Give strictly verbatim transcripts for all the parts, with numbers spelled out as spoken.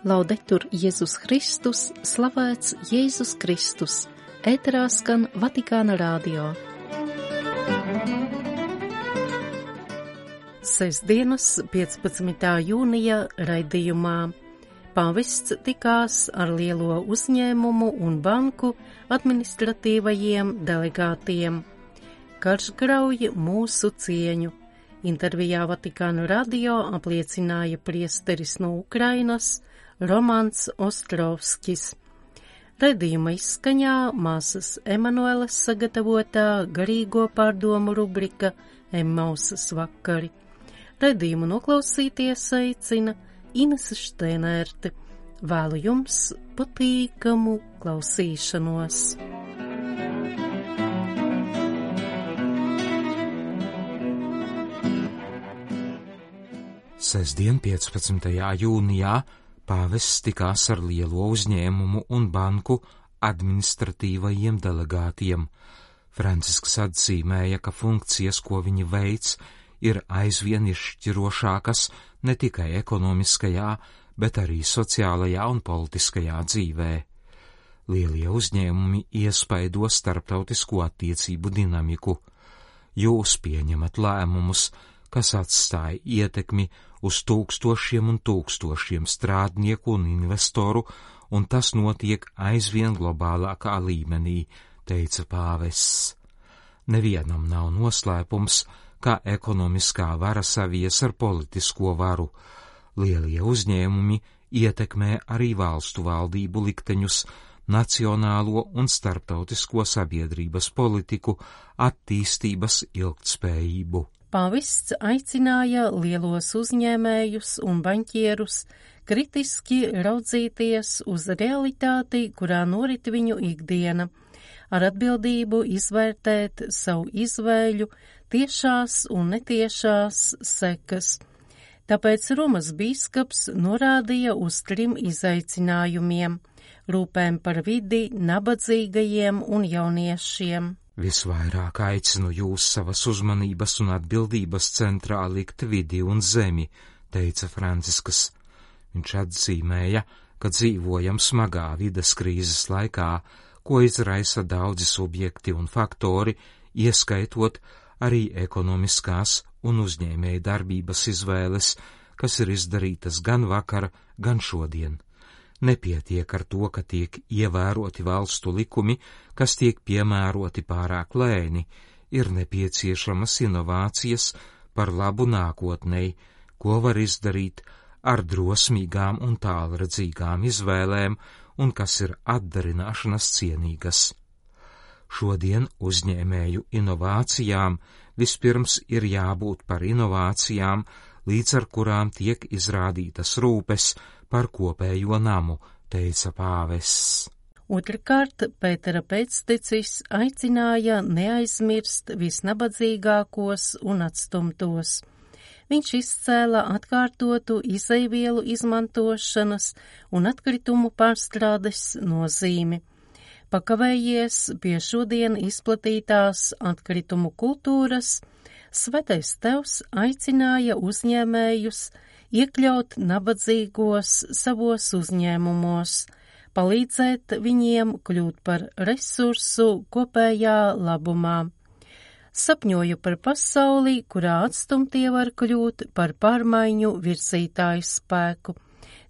Laudetur Jēzus Kristus, slavēts Jēzus Kristus, ēterā skan Vatikāna radio. Sestdienas piecpadsmitā jūnija raidījumā pāvests tikās ar lielo uzņēmumu un banku administratīvajiem delegātiem. Karš grauj mūsu cieņu. Intervijā Vatikāna radio apliecināja priesteris no Ukrainas Romans Ostrovskis. Raidījuma izskaņā māsas Emanueles sagatavotā garīgo pārdomu rubrika Emmausas vakari. Raidījumu noklausīties aicina Inese Šteinerte. Vēlu jums patīkamu klausīšanos. Sestdien, piecpadsmitajā jūnijā, pāvests tikās ar lielo uzņēmumu un banku administratīvajiem delegātiem. Francisks atzīmēja, ka funkcijas, ko viņi veic, ir aizvien izšķirošākas ne tikai ekonomiskajā, bet arī sociālajā un politiskajā dzīvē. Lielie uzņēmumi iespaido starptautisko attiecību dinamiku. Jūs pieņemat lēmumus, kas atstāja ietekmi uz tūkstošiem un tūkstošiem strādnieku un investoru, un tas notiek aizvien globālākā līmenī, teica pāvests. Nevienam nav noslēpums, ka ekonomiskā vara savies ar politisko varu. Lielie uzņēmumi ietekmē arī valstu valdību likteņus, nacionālo un starptautisko sabiedrības politiku, attīstības ilgtspējību. Pāvests aicināja lielos uzņēmējus un baņķierus kritiski raudzīties uz realitāti, kurā norit viņu ikdiena, ar atbildību izvērtēt savu izvēļu tiešās un netiešās sekas. Tāpēc Romas bīskaps norādīja uz trim izaicinājumiem – rūpēm par vidi, nabadzīgajiem un jauniešiem. Visvairāk aicinu jūs savas uzmanības un atbildības centrā likt vidi un zemi, teica Francisks. Viņš atzīmēja, ka dzīvojam smagā vides krīzes laikā, ko izraisa daudzi subjekti un faktori, ieskaitot arī ekonomiskās un uzņēmēja darbības izvēles, kas ir izdarītas gan vakar, gan šodien. Nepietiek ar to, ka tiek ievēroti valstu likumi, kas tiek piemēroti pārāk lēni, ir nepieciešamas inovācijas par labu nākotnei, ko var izdarīt ar drosmīgām un tālredzīgām izvēlēm un kas ir atdarināšanas cienīgas. Šodien uzņēmēju inovācijām vispirms ir jābūt par inovācijām, līdz ar kurām tiek izrādītas rūpes par kopējo namu, teica pāvests. Otrkārt, Pētera pēctecis aicināja neaizmirst visnabadzīgākos un atstumtos. Viņš izcēla atkārtotu izejvielu izmantošanas un atkritumu pārstrādes nozīmi. Pakavējies pie šodien izplatītās atkritumu kultūras, Svētais Tevs aicināja uzņēmējus iekļaut nabadzīgos savos uzņēmumos, palīdzēt viņiem kļūt par resursu kopējā labumā. Sapņoju par pasauli, kurā atstumtie var kļūt par pārmaiņu virzītāju spēku,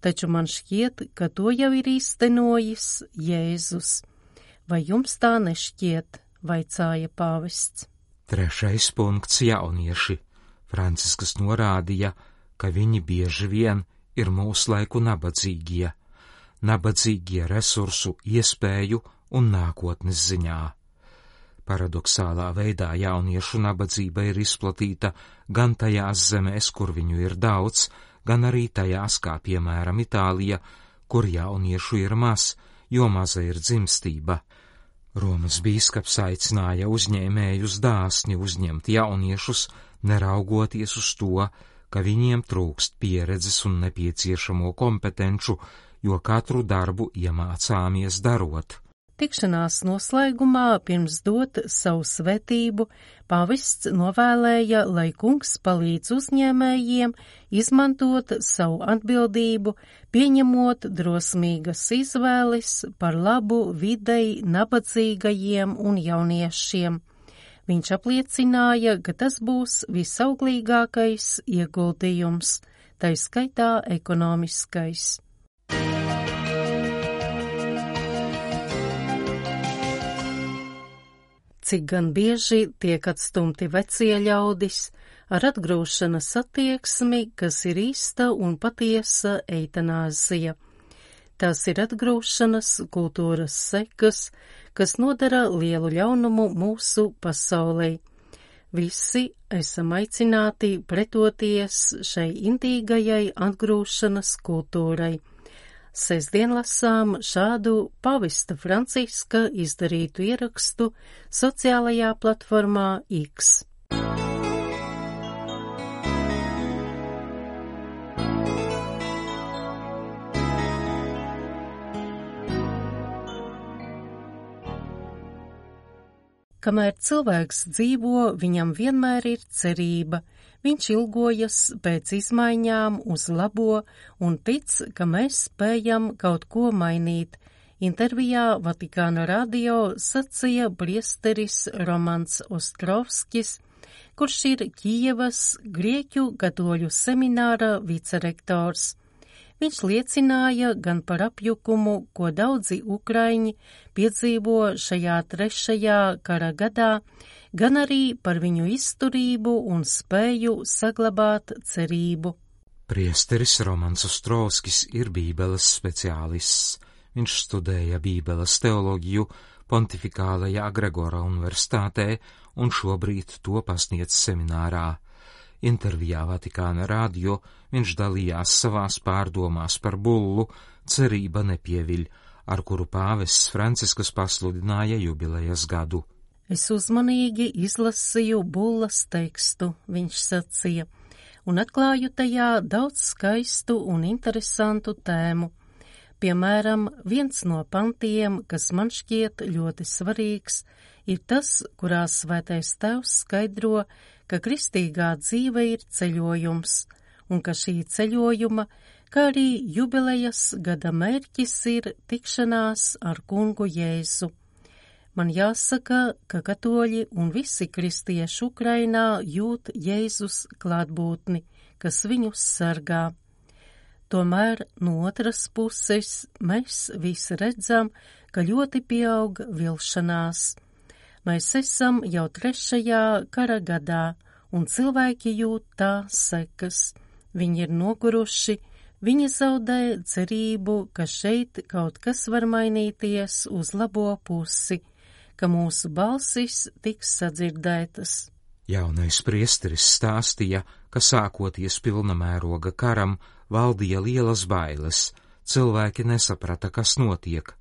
taču man šķiet, ka to jau ir īstenojis Jēzus. Vai jums tā nešķiet, vaicāja pāvests? Trešais punkts - jaunieši. Francisks norādīja, ka viņi bieži vien ir mūsu laiku nabadzīgie, nabadzīgie resursu, iespēju un nākotnes ziņā. Paradoxālā veidā jauniešu nabadzība ir izplatīta gan tajās zemēs, kur viņu ir daudz, gan arī tajās, kā piemēram Itālija, kur jauniešu ir maz, jo maza ir dzimstība. Romas bīskaps aicināja uzņēmējus dāsni uzņemt jauniešus, neraugoties uz to, ka viņiem trūkst pieredzes un nepieciešamo kompetenču, jo katru darbu iemācāmies darot. Tikšanās noslēgumā pirms dot savu svētību, pāvests novēlēja, lai kungs palīdz uzņēmējiem izmantot savu atbildību, pieņemot drosmīgas izvēles par labu videi nabadzīgajiem un jauniešiem. Viņš apliecināja, ka tas būs visauglīgākais ieguldījums, tai skaitā ekonomiskais. Cik gan bieži tiek atstumti vecie ļaudis ar atgrūšanas attieksmi, kas ir īsta un patiesa eitanāzija. Tās ir atgrūšanas kultūras sekas, kas nodara lielu ļaunumu mūsu pasaulē. Visi esam aicināti pretoties šai indīgajai atgrūšanas kultūrai. Sestdien lasām šādu pavesta Franciska izdarītu ierakstu sociālajā platformā X. Kamēr cilvēks dzīvo, viņam vienmēr ir cerība. Viņš ilgojas pēc izmaiņām uz labo un tic, ka mēs spējam kaut ko mainīt. Intervijā Vatikāna radio sacīja priesteris Romans Ostrovskis, kurš ir Kijevas Grieķu katoļu semināra vicerektors. Viņš liecināja gan par apjukumu, ko daudzi ukraiņi piedzīvo šajā trešajā kara gadā, gan arī par viņu izturību un spēju saglabāt cerību. Priesteris Romans Ostrovskis ir bībeles speciālists. Viņš studēja bībeles teoloģiju Pontifikālajā Gregora universitātē un šobrīd to pasniedz seminārā. Intervijā Vatikāna radio viņš dalījās savās pārdomās par bullu Cerība nepieviļ, ar kuru pāvests Franciskus pasludināja jubilejas gadu. Es uzmanīgi izlasīju bullas tekstu, viņš sacīja, un atklāju tajā daudz skaistu un interesantu tēmu. Piemēram, viens no pantiem, kas man šķiet ļoti svarīgs, ir tas, kurā Svētais Tēvs skaidro, ka kristīgā dzīve ir ceļojums, un ka šī ceļojuma, kā arī jubilejas gada mērķis ir tikšanās ar kungu Jēzu. Man jāsaka, ka katoļi un visi kristieši Ukrainā jūt Jēzus klātbūtni, kas viņus sargā. Tomēr no otras puses mēs visi redzam, ka ļoti pieaug vilšanās. Mēs esam jau trešajā kara gadā, un cilvēki jūt tā sekas. Viņi ir noguruši, viņi zaudē cerību, ka šeit kaut kas var mainīties uz labo pusi, ka mūsu balsis tiks sadzirdētas. Jaunais priesteris stāstīja, ka sākoties pilnamēroga karam valdīja lielas bailes, cilvēki nesaprata, kas notiek.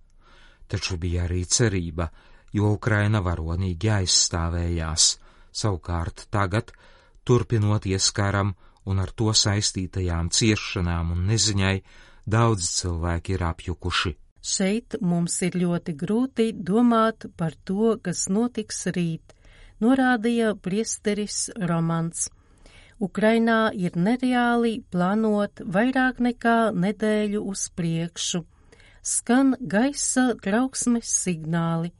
Taču bija arī cerība, jo Ukraina varonīgi aizstāvējās. Savukārt tagad, turpinoties karam un ar to saistītajām ciešanām un neziņai, daudz cilvēki ir apjukuši. Šeit mums ir ļoti grūti domāt par to, kas notiks rīt, norādīja priesteris Romans. Ukrainā ir nereāli plānot vairāk nekā nedēļu uz priekšu. Skan gaisa trauksmes signāli.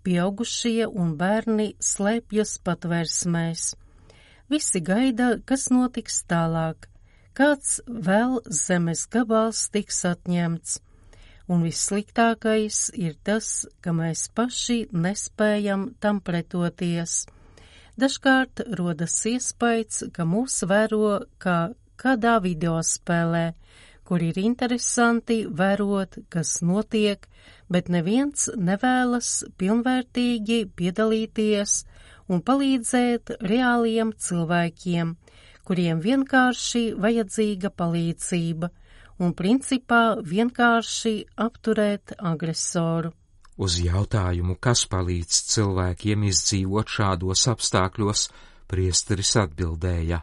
Pieaugušie un bērni slēpjas patvērsmēs. Visi gaida, kas notiks tālāk, kāds vēl zemes gabals tiks atņemts. Un vissliktākais ir tas, ka mēs paši nespējam tam pretoties. Dažkārt rodas iespējas, ka mūs vēro kā kādā videospēlē, kur ir interesanti vērot, kas notiek, bet neviens nevēlas pilnvērtīgi piedalīties un palīdzēt reāliem cilvēkiem, kuriem vienkārši vajadzīga palīdzība un principā vienkārši apturēt agresoru. Uz jautājumu, kas palīdz cilvēkiem izdzīvot šādos apstākļos, priesteris atbildēja: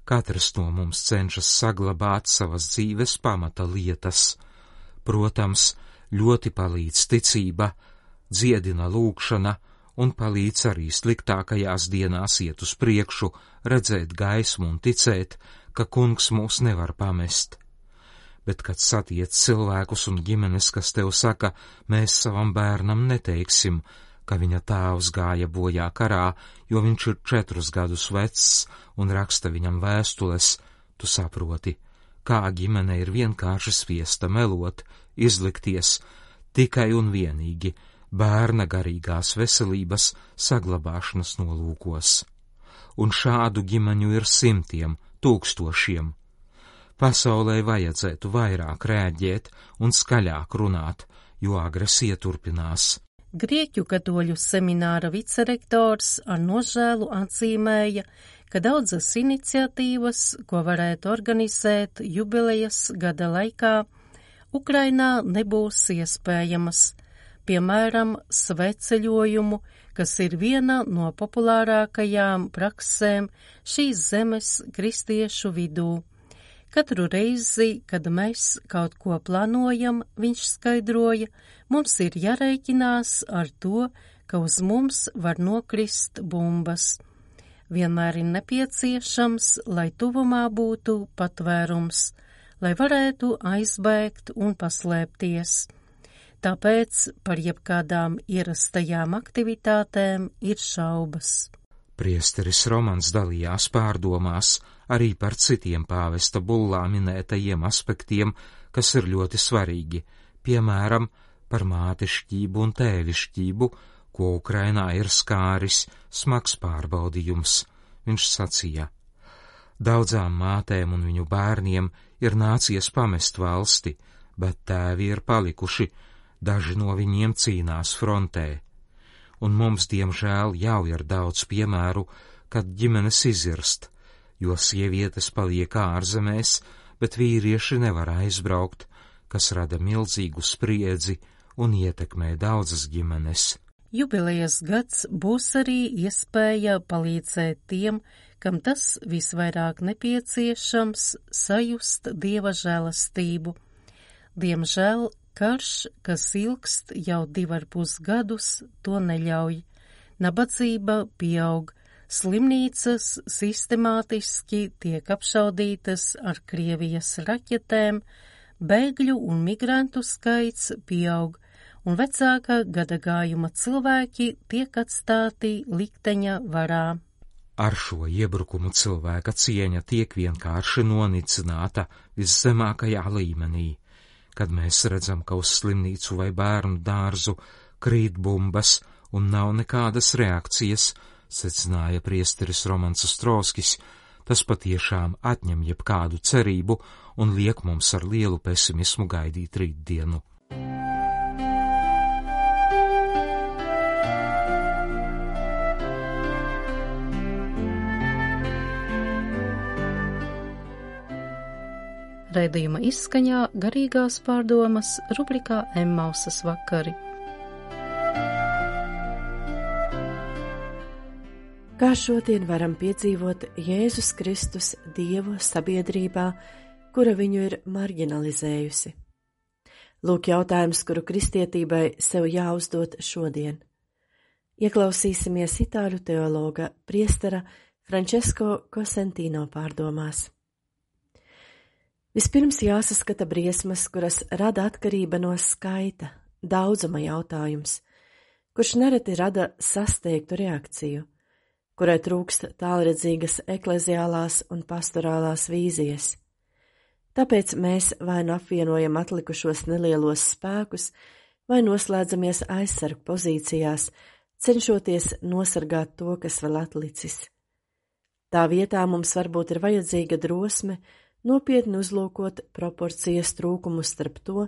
katrs no mums cenšas saglabāt savas dzīves pamata lietas. Protams, ļoti palīdz ticība, dziedina lūgšana un palīdz arī sliktākajās dienās iet uz priekšu, redzēt gaismu un ticēt, ka kungs mūs nevar pamest. Bet, kad satiec cilvēkus un ģimenes, kas tev saka, mēs savam bērnam neteiksim, ka viņa tēvs gāja bojā karā, jo viņš ir četrus gadus vecs un raksta viņam vēstules, tu saproti, kā ģimene ir vienkārši spiesta melot, izlikties tikai un vienīgi bērna garīgās veselības saglabāšanas nolūkos. Un šādu ģimeņu ir simtiem, tūkstošiem. Pasaulē vajadzētu vairāk rēģēt un skaļāk runāt, jo agresija turpinās. Grieķu katoļu semināra vicerektors ar nožēlu atzīmēja, ka daudzas iniciatīvas, ko varētu organizēt jubilejas gada laikā, Ukrainā nebūs iespējamas, piemēram, sveceļojumu, kas ir viena no populārākajām praksēm šīs zemes kristiešu vidū. Katru reizi, kad mēs kaut ko plānojam, viņš skaidroja, mums ir jārēķinās ar to, ka uz mums var nokrist bumbas. Vienmēr ir nepieciešams, lai tuvumā būtu patvērums, lai varētu aizbēgt un paslēpties. Tāpēc par jebkādām ierastajām aktivitātēm ir šaubas. Priesteris Romans dalījās pārdomās arī par citiem pāvesta bullā minētajiem aspektiem, kas ir ļoti svarīgi, piemēram, par mātešķību un tēvišķību, ko Ukrainā ir skāris smags pārbaudījums. Viņš sacīja, daudzām mātēm un viņu bērniem ir nācies pamest valsti, bet tēvi ir palikuši, daži no viņiem cīnās frontē. Un mums, diemžēl, jau ir daudz piemēru, kad ģimenes izirst, jo sievietes paliek ārzemēs, bet vīrieši nevar aizbraukt, kas rada milzīgu spriedzi un ietekmē daudzas ģimenes. Jubilejas gads būs arī iespēja palīdzēt tiem, kam tas visvairāk nepieciešams, sajust Dieva žēlastību. Diemžēl karš, kas ilgst jau divar pus gadus, to neļauj. Nabadzība pieaug, slimnīcas sistemātiski tiek apšaudītas ar Krievijas raķetēm, bēgļu un migrantu skaits pieaug, un vecāka gadagājuma cilvēki tiek atstāti likteņa varā. Ar šo iebrukumu cilvēka cieņa tiek vienkārši nonicināta viszemākajā līmenī. Kad mēs redzam, ka uz slimnīcu vai bērnu dārzu krīt bumbas un nav nekādas reakcijas, secināja priesteris Romans Ostrovskis, tas patiešām atņem jebkādu cerību un liek mums ar lielu pesimismu gaidīt rītdienu. Raidījuma izskaņā garīgās pārdomas rubrikā Emmausas vakari. Kā šodien varam piedzīvot Jēzus Kristus Dievu sabiedrībā, kura viņu ir marginalizējusi? Lūk jautājums, kuru kristietībai sev jāuzdod šodien. Ieklausīsimies itāļu teologa priestera Francesco Cosentino pārdomās. Vispirms jāsaskata briesmas, kuras rada atkarība no skaita, daudzuma jautājums, kurš nereti rada sasteigtu reakciju, kurai trūkst tālredzīgas ekleziālās un pastorālās vīzijas. Tāpēc mēs vai nu apvienojam atlikušos nelielos spēkus, vai noslēdzamies aizsargu pozīcijās, cenšoties nosargāt to, kas vēl atlicis. Tā vietā mums varbūt ir vajadzīga drosme, nopietni uzlūkot proporcijas trūkumu starp to,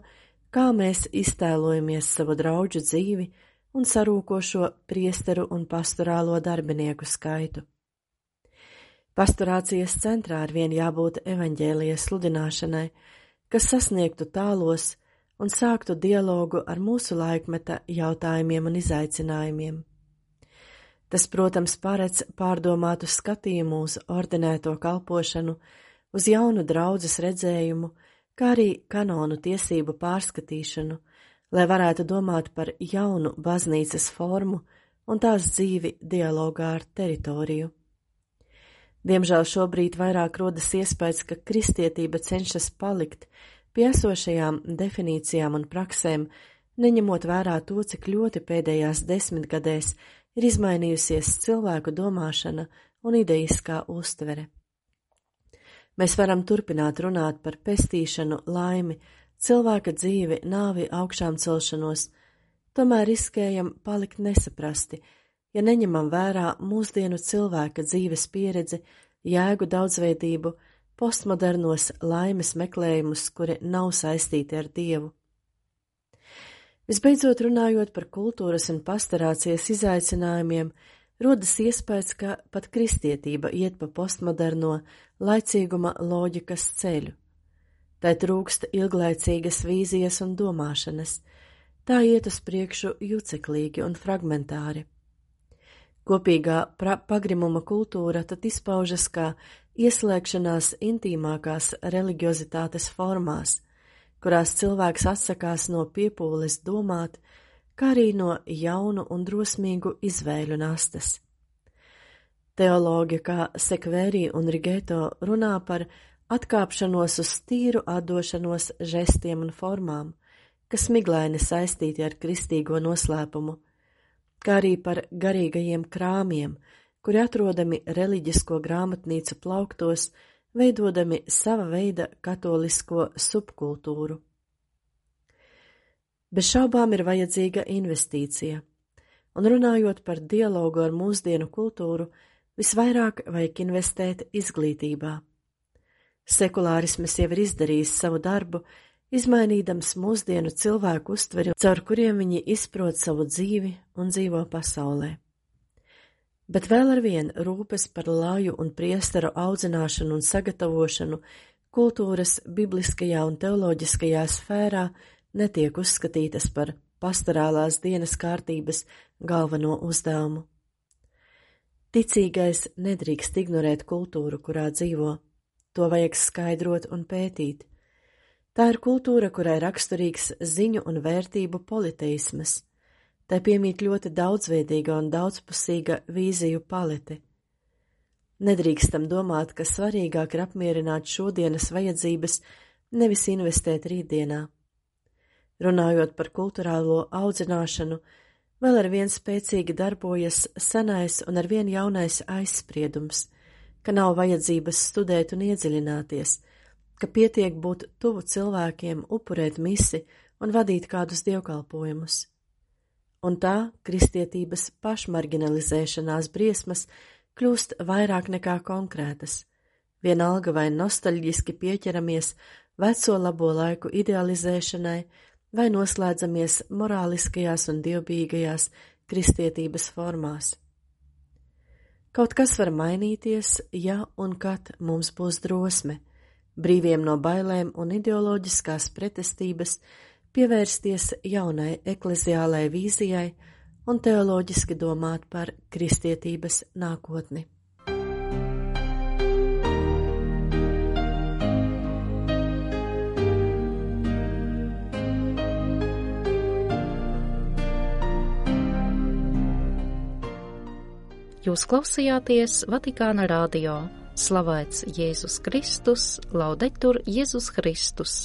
kā mēs iztēlojamies savu draudžu dzīvi un sarūkošo priesteru un pastorālo darbinieku skaitu. Pastorācijas centrā arvien jābūt evaņģēlijas sludināšanai, kas sasniegtu tālos un sāktu dialogu ar mūsu laikmeta jautājumiem un izaicinājumiem. Tas, protams, paredz pārdomātu skatījumu uz ordinēto kalpošanu, uz jaunu draudzes redzējumu, kā arī kanonu tiesību pārskatīšanu, lai varētu domāt par jaunu baznīcas formu un tās dzīvi dialogā ar teritoriju. Diemžēl šobrīd vairāk rodas iespējas, ka kristietība cenšas palikt pie esošajām definīcijām un praksēm, neņemot vērā to, cik ļoti pēdējās desmitgadēs ir izmainījusies cilvēku domāšana un ideiskā uztvere. Mēs varam turpināt runāt par pestīšanu, laimi, cilvēka dzīvi, nāvi, augšām celšanos, tomēr riskējam palikt nesaprasti, ja neņemam vērā mūsdienu cilvēka dzīves pieredzi, jēgu daudzveidību, postmodernos laimes meklējumus, kuri nav saistīti ar Dievu. Visbeidzot, runājot par kultūras un pastorācijas izaicinājumiem, rodas iespējas, ka pat kristietība iet pa postmoderno laicīguma loģikas ceļu. Tai trūkst ilglaicīgas vīzijas un domāšanas, tā iet uz priekšu juceklīgi un fragmentāri. Kopīgā pagrimuma kultūra tad izpaužas kā ieslēgšanās intīmākās reliģiozitātes formās, kurās cilvēks atsakās no piepūles domāt, kā arī no jaunu un drosmīgu izvēļu nastas. Teologi kā Sekvēri un Rigeto runā par atkāpšanos uz tīru atdošanos žestiem un formām, kas miglaini saistīti ar kristīgo noslēpumu, kā arī par garīgajiem krāmiem, kuri atrodami reliģisko grāmatnīcu plauktos, veidodami sava veida katolisko subkultūru. Bez šaubām ir vajadzīga investīcija, un runājot par dialogu ar mūsdienu kultūru, visvairāk vajag investēt izglītībā. Sekulārisms jau ir izdarījis savu darbu, izmainīdams mūsdienu cilvēku uztveri, caur kuriem viņi izprot savu dzīvi un dzīvo pasaulē. Bet vēl ar vien rūpes par laju un priesteru audzināšanu un sagatavošanu kultūras bibliskajā un teoloģiskajā sfērā netiek uzskatītas par pastorālās dienas kārtības galveno uzdevumu. Ticīgais nedrīkst ignorēt kultūru, kurā dzīvo. To vajag skaidrot un pētīt. Tā ir kultūra, kurai raksturīgs ziņu un vērtību politeismas. Tai piemīt ļoti daudzveidīga un daudzpusīga vīziju palete. Nedrīkstam domāt, ka svarīgāk ir apmierināt šodienas vajadzības, nevis investēt rītdienā. Runājot par kulturālo audzināšanu, vēl ar vien spēcīgi darbojas senais un ar vien jaunais aizspriedums, ka nav vajadzības studēt un iedziļināties, ka pietiek būt tuvu cilvēkiem, upurēt misi un vadīt kādus dievkalpojumus. Un tā kristietības pašmarginalizēšanās briesmas kļūst vairāk nekā konkrētas, vienalga vai nostalģiski pieķeramies veco labo laiku idealizēšanai, vai noslēdzamies morāliskajās un dievbijīgajās kristietības formās. Kaut kas var mainīties, ja un kad mums būs drosme, brīviem no bailēm un ideoloģiskās pretestības, pievērsties jaunai ekleziālai vīzijai un teoloģiski domāt par kristietības nākotni. Jūs klausījāties Vatikāna radio. Slavēts Jēzus Kristus, laudetur Jēzus Kristus.